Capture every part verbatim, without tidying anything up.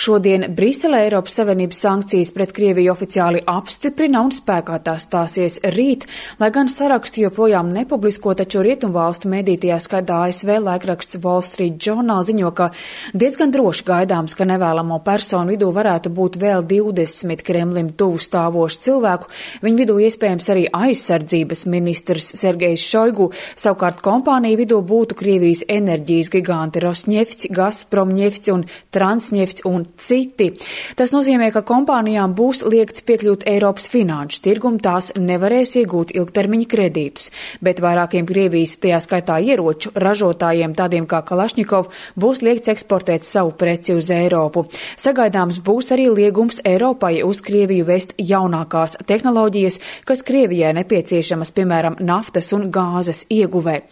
Šodien Briselē Eiropas Savienības sankcijas pret Krieviju oficiāli apstiprina un spēkā tās stāsies rīt, lai gan sarakstu joprojām nepublisko, taču rietumvalstu mediju, tajā skaitā A S V laikraksts Wall Street Journal, ziņo, ka diezgan droši gaidāms, ka nevēlamo personu vidū varētu būt vēl divdesmit Kremlim tuvu stāvošu cilvēku. Viņu vidū iespējams arī aizsardzības ministrs Sergejs Šoigu, savukārt kompāniju vidū būtu Krievijas enerģijas giganti Rosnefts, Gazpromnefts un Transnefts un citi. Tas nozīmē, ka kompānijām būs liegts piekļūt Eiropas finanšu tirgumu, tās nevarēs iegūt ilgtermiņa kredītus, bet vairākiem Krievijas, tajā skaitā ieroču ražotājiem, tādiem kā Kalašņikov, būs liegts eksportēt savu preci uz Eiropu. Sagaidāms būs arī liegums Eiropai uz Krieviju vest jaunākās tehnoloģijas, kas Krievijai nepieciešamas, piemēram, naftas un gāzes ieguvē.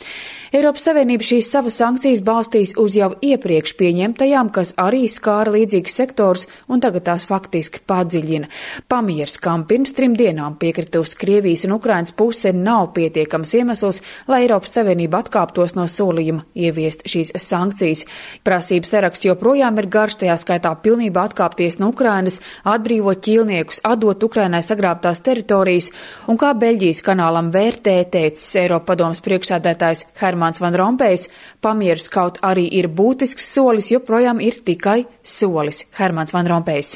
Eiropas Savienība šīs savas sankcijas balstīs uz jau iepriekš pieņemtajām, kas arī skāra līdzīgas sektors un tagad tās faktiski padziļina. Pamiers, kam pirms trim dienām piekritusi Krievijas un Ukrainas puse, nav pietiekams iemesls, lai Eiropas Savienība atkāptos no solījuma ieviest šīs sankcijas. Prasības saraksts joprojām ir garš, tajā skaitā pilnībā atkāpties no Ukrainas, atbrīvot ķīlniekus, atdot Ukrainai sagrābtās teritorijas, un kā Beļģijas kanālam vērtē, teicis Eiropadomes priekšsēdētājs Hermans Van Rompējs, pamieris kaut arī ir būtisks solis, joprojām ir tikai solis. Hermans Van Rompējs.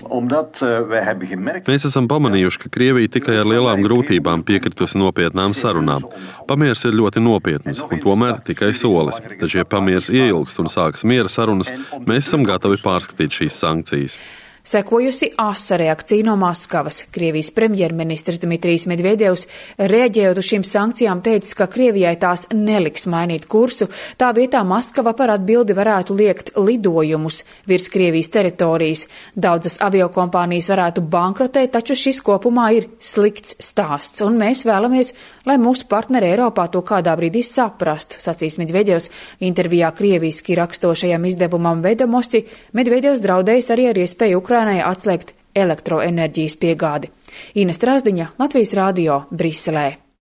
Mēs esam pamanījuši, ka Krievija tikai ar lielām grūtībām piekritusi nopietnām sarunām. Pamieris ir ļoti nopietns un tomēr tikai solis. Taču, ja pamieris ieilgst un sākas miera sarunas, mēs esam gatavi pārskatīt šīs sankcijas. Sekojusi asa reakcija no Maskavas. Krievijas premjerministrs Dmitrijs Medvedevs, reaģējot uz šīm sankcijām, teicis, ka Krievijai tās neliks mainīt kursu. Tā vietā Maskava par atbildi varētu liekt lidojumus virs Krievijas teritorijas. Daudzas aviokompānijas varētu bankrotēt, taču šis kopumā ir slikts stāsts, un mēs vēlamies, lai mūsu partneri Eiropā to kādā brīdī saprastu, sacīs Medvedevs. Intervijā krieviski rakstošajam izdevumam Vedomosti Medvedevs draudējis arī ar iespēju Ukrainai atslēgt elektroenerģijas piegādi. Ines Trasdiņa, Latvijas radio, Briselē.